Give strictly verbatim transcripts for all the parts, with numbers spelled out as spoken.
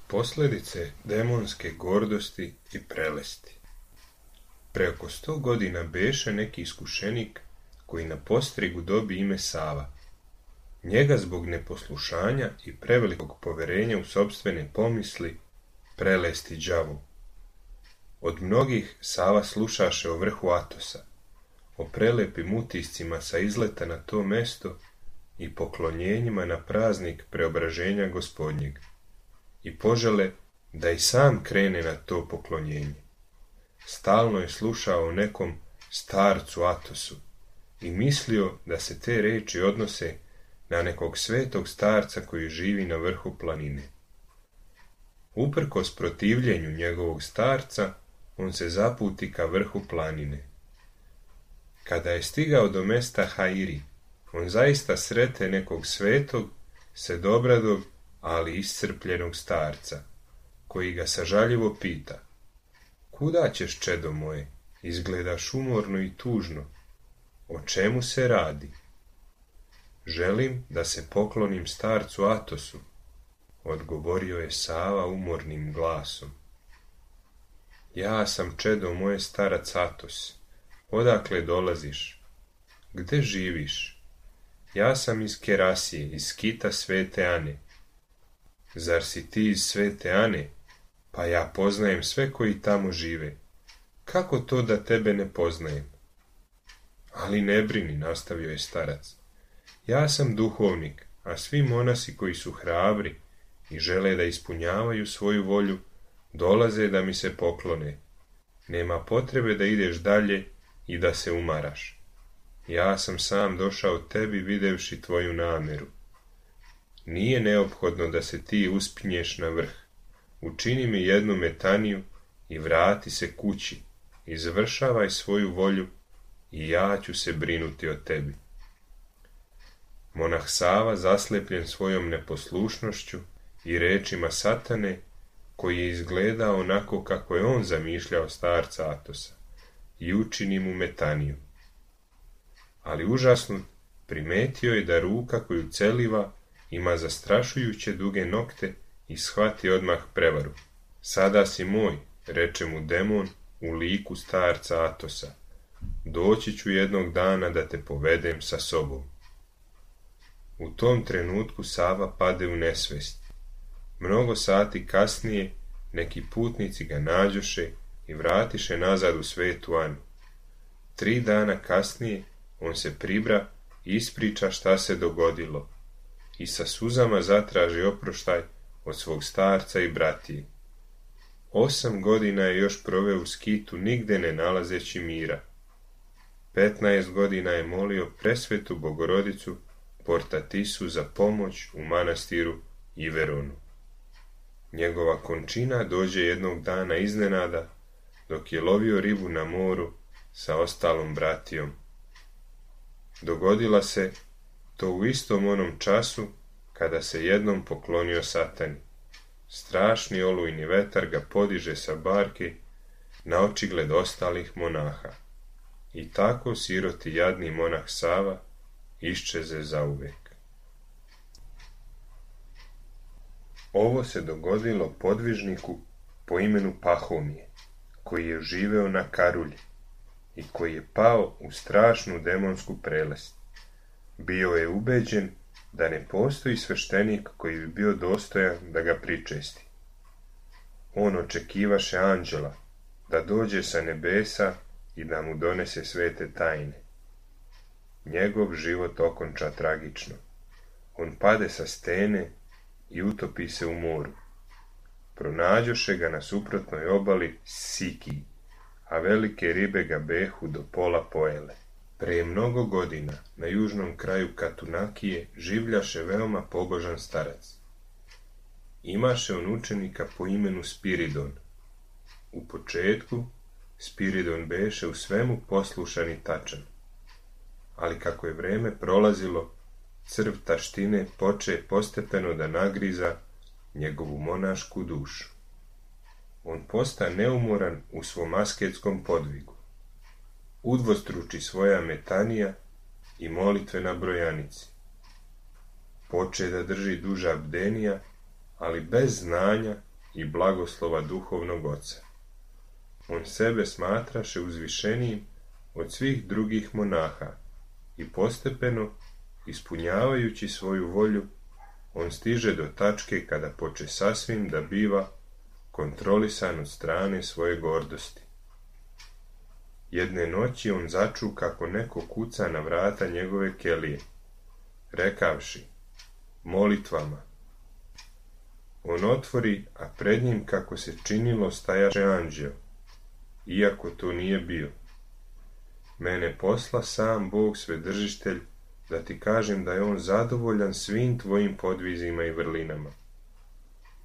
Posljedice demonske gordosti i prelesti. Pre oko sto godina beše neki iskušenik koji na postrigu dobi ime Sava. Njega zbog neposlušanja i prevelikog poverenja u sopstvene pomisli prelesti đavo. Od mnogih Sava slušaše o vrhu Atosa, o prelepim utiscima sa izleta na to mesto i poklonjenjima na praznik preobraženja Gospodnjeg, i požele da i sam krene na to poklonjenje. Stalno je slušao o nekom starcu Atosu i mislio da se te reči odnose na nekog svetog starca koji živi na vrhu planine. Uprkos protivljenju njegovog starca, on se zaputi ka vrhu planine. Kada je stigao do mesta Hairi, on zaista srete nekog svetog, sedobradog, ali iscrpljenog starca, koji ga sažaljivo pita: "Kuda ćeš, čedo moje? Izgledaš umorno i tužno. O čemu se radi?" "Želim da se poklonim starcu Atosu," odgovorio je Sava umornim glasom. "Ja sam, čedo moje, starac Atos. Odakle dolaziš? Gde živiš?" "Ja sam iz Kerasije, iz skita Svete Ane." "Zar si ti iz Svete Ane? Pa ja poznajem sve koji tamo žive. Kako to da tebe ne poznajem?" "Ali ne brini," nastavio je starac. "Ja sam duhovnik, a svi monasi koji su hrabri i žele da ispunjavaju svoju volju, dolaze da mi se poklone. Nema potrebe da ideš dalje i da se umaraš. Ja sam sam došao tebi videvši tvoju nameru. Nije neophodno da se ti uspinješ na vrh. Učini mi jednu metaniju i vrati se kući, izvršavaj svoju volju i ja ću se brinuti o tebi." Monah Sava, zaslepljen svojom neposlušnošću i rečima Satane, koji je izgledao onako kako je on zamišljao starca Atosa, i učini mu metaniju. Ali užasnut primetio je da ruka koju celiva ima zastrašujuće duge nokte i shvati odmah prevaru. "Sada si moj," reče mu demon u liku starca Atosa. "Doći ću jednog dana da te povedem sa sobom." U tom trenutku Sava pade u nesvest. Mnogo sati kasnije neki putnici ga nađoše i vratiše nazad u Svetu Anu. Tri dana kasnije on se pribra i ispriča šta se dogodilo i sa suzama zatraži oproštaj od svog starca i bratije. Osam godina je još proveo u skitu, nigde ne nalazeći mira. Petnaest godina je molio presvetu Bogorodicu Portatisu za pomoć u manastiru Iveronu. Njegova končina dođe jednog dana iznenada, dok je lovio ribu na moru sa ostalom bratijom. Dogodila se to u istom onom času kada se jednom poklonio Satani. Strašni olujni vetar ga podiže sa barke na očigled ostalih monaha. I tako siroti jadni monah Sava iščeze zauvek. Ovo se dogodilo podvižniku po imenu Pahomije, koji je živeo na Karulji i koji je pao u strašnu demonsku prelest. Bio je ubeđen da ne postoji sveštenik koji bi bio dostojan da ga pričesti. On očekivaše anđela da dođe sa nebesa i da mu donese svete tajne. njegov život okonča tragično. On pade sa stene i utopi se u moru. Pronađoše ga na suprotnoj obali Siki, a velike ribe ga behu do pola pojele. Prije mnogo godina na južnom kraju Katunakije življaše veoma pobožan starac. Imaše on učenika po imenu Spiridon. U početku Spiridon beše u svemu poslušan i tačan, ali kako je vreme prolazilo, crv taštine poče postepeno da nagriza njegovu monašku dušu. On posta neumoran u svom asketskom podvigu. Udvostruči svoja metanija i molitve na brojanici. Poče da drži duža bdenija, ali bez znanja i blagoslova duhovnog oca. On sebe smatraše uzvišenijim od svih drugih monaha i postepeno, ispunjavajući svoju volju, on stiže do tačke kada poče sasvim da biva kontrolisan od strane svoje gordosti. Jedne noći on začu kako neko kuca na vrata njegove kelije, rekavši: molitvama. On otvori, a pred njim, kako se činilo, stajaše anđeo, iako to nije bio. Mene posla sam Bog Svedržitelj da ti kažem da je on zadovoljan svim tvojim podvizima i vrlinama.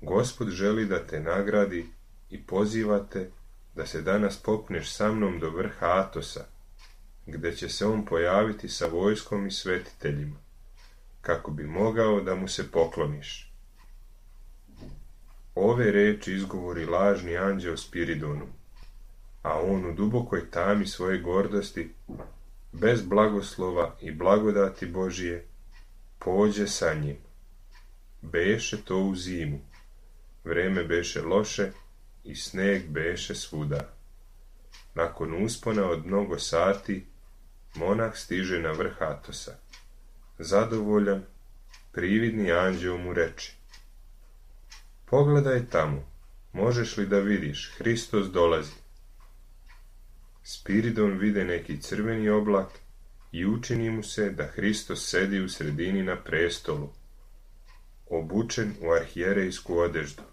Gospod želi da te nagradi i pozivate da se danas popneš sa mnom do vrha Atosa, gde će se on pojaviti sa vojskom i svetiteljima, kako bi mogao da mu se pokloniš. Ove reči izgovori lažni anđeo Spiridonu, a on u dubokoj tami svoje gordosti, bez blagoslova i blagodati Božije, pođe sa njim. Beše to u zimu, vreme beše loše i sneg beše svuda. Nakon uspona od mnogo sati, monah stiže na vrh Atosa. Zadovoljan, prividni anđeo mu reče: pogledaj tamo, možeš li da vidiš, Hristos dolazi. Spiridon vide neki crveni oblak i učini mu se da Hristos sedi u sredini na prestolu, obučen u arhijerejsku odeždu.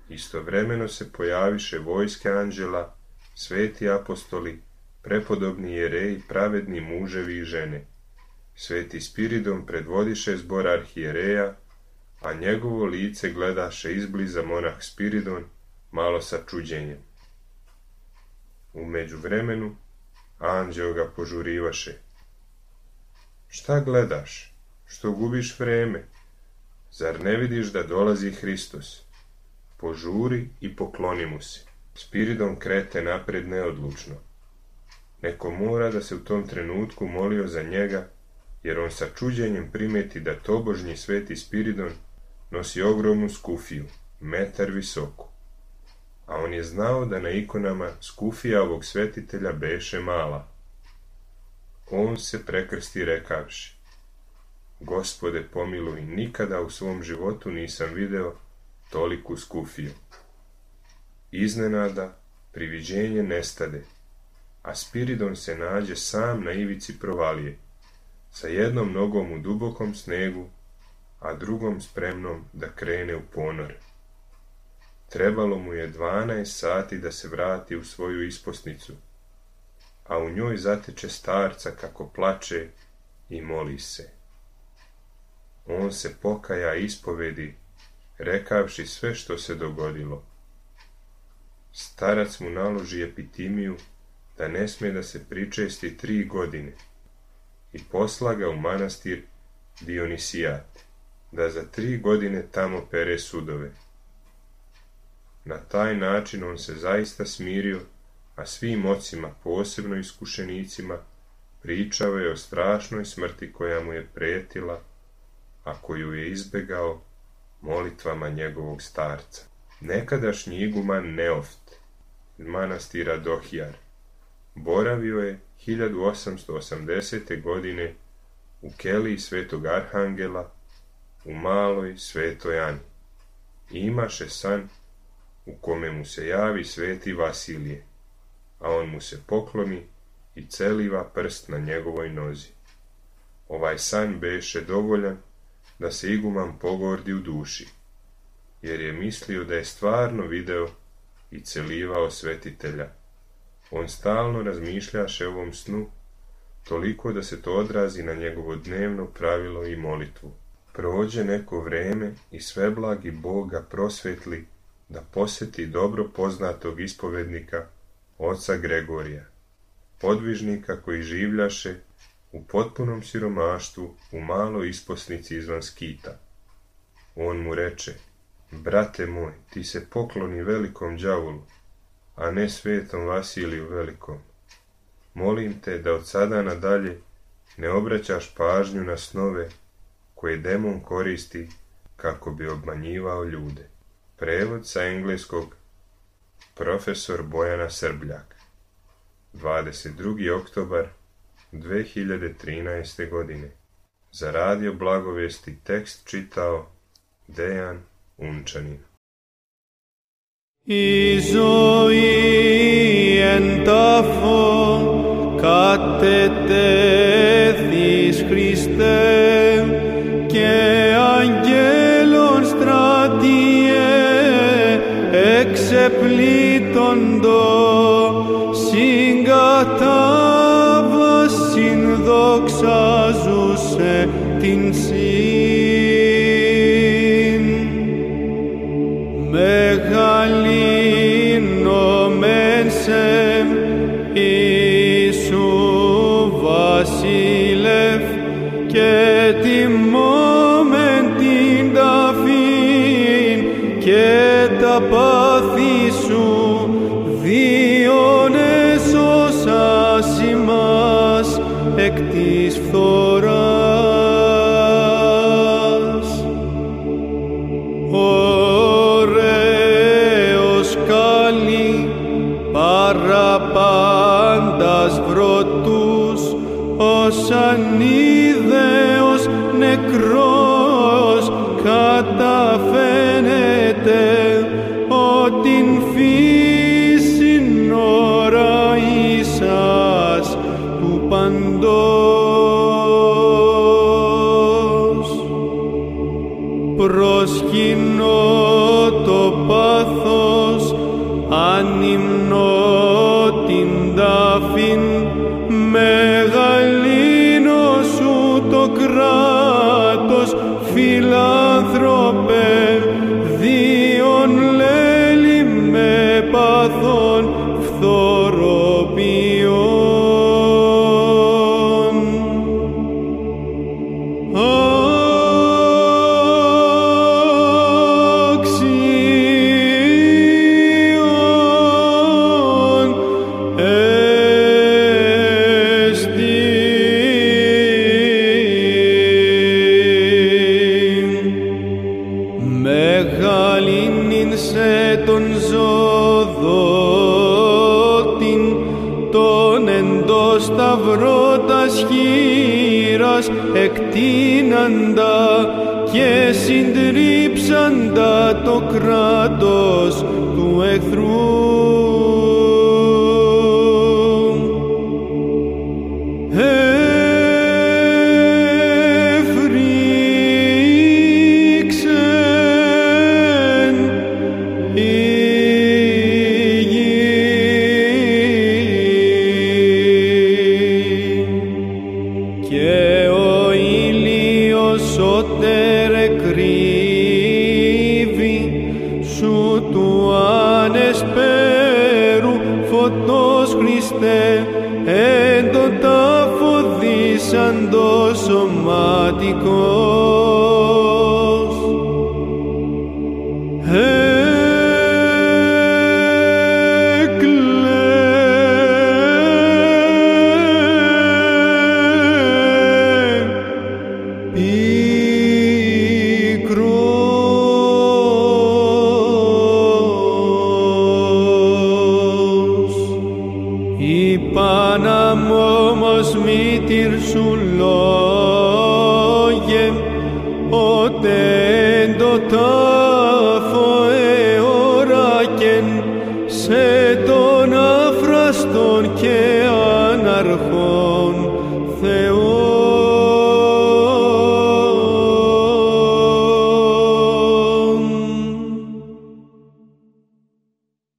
Istovremeno se pojaviše vojske anđela, sveti apostoli, prepodobni jereji, pravedni muževi i žene. Sveti Spiridon predvodiše zbor arhijereja, a njegovo lice gledaše izbliza monah Spiridon, malo sa čuđenjem. U međuvremenu anđeo ga požurivaše: šta gledaš, što gubiš vreme? Zar ne vidiš da dolazi Hristos? Požuri i pokloni mu se. Spiridon krete napred neodlučno. Neko mora da se u tom trenutku molio za njega, jer on sa čuđenjem primeti da tobožnji sveti Spiridon nosi ogromnu skufiju, metar visoku. A on je znao da na ikonama skufija ovog svetitelja beše mala. On se prekrsti rekavši: Gospode pomiluj, nikada u svom životu nisam video toliku skufiju. Iznenada priviđenje nestade, a Spiridon se nađe sam na ivici provalije, sa jednom nogom u dubokom snegu, a drugom spremnom da krene u ponor. Trebalo mu je dvanaest sati da se vrati u svoju isposnicu, a u njoj zateče starca kako plače i moli se. On se pokaja ispovedi, rekavši sve što se dogodilo. Starac mu naloži epitimiju da ne sme da se pričesti tri godine i posla ga u manastir Dionisijat, da za tri godine tamo pere sudove. Na taj način on se zaista smirio, a svim ocima, posebno iskušenicima, pričao je o strašnoj smrti koja mu je pretila, a koju je izbegao molitvama njegovog starca. Nekadašnji iguman Neoft, manastira Dohijar, boravio je hiljadu osamsto osamdesete. godine u keliji svetog Arhangela u maloj Svetoj Ani i imaše san u kome mu se javi sveti Vasilije, a on mu se pokloni i celiva prst na njegovoj nozi. Ovaj san beše dovoljan da se iguman pogordi u duši, jer je mislio da je stvarno video i celivao svetitelja. On stalno razmišljaše o ovom snu, toliko da se to odrazi na njegovo dnevno pravilo i molitvu. Prođe neko vreme i sveblagi Bog ga prosvetli da poseti dobro poznatog ispovednika, oca Gregorija, podvižnika koji življaše u potpunom siromaštvu u maloj isposnici izvan Skita. On mu reče: brate moj, ti se pokloni velikom đavolu, a ne svetom Vasiliju velikom. Molim te da od sada nadalje ne obraćaš pažnju na snove koje demon koristi kako bi obmanjivao ljude. Prevod sa engleskog profesor Bojana Srbljak. dvadeset drugi oktobar dve hiljade trinaeste. godine. Za radio Blagovesti tekst čitao Dejan Unčanin. Η ζωή εν τάφο κατετέθης Χριστέ και αγγέλων στρατιέ εξεπλήττοντο συγκατάβασιν δοξάζουσε την συν μεγαλύνομεν σε Ιησού Βασίλευ και τιμώμεν την ταφήν και τα πάθη σου διόν έσωσας ημάς εκ της φθοράς. Ωραίος καλή παραπάντας βρωτούς, ως ανίδεος νεκρός καταφαίνεται ότι φύσιν ώρα ίσας του παντός. Προσκυνώ το πάθος, ανυμνώ την τάφην, μεγαλύνω σου το κράτος, φιλάνθρωπε, διον λέλη με πάθων φθοροποιών. Σταυρότας χείρας εκτείναντα και συντρίψαντα το κράτος του εχθρού. Εν το τάφο δίσαντο σωματικός. Σου λόγε, ότε εν το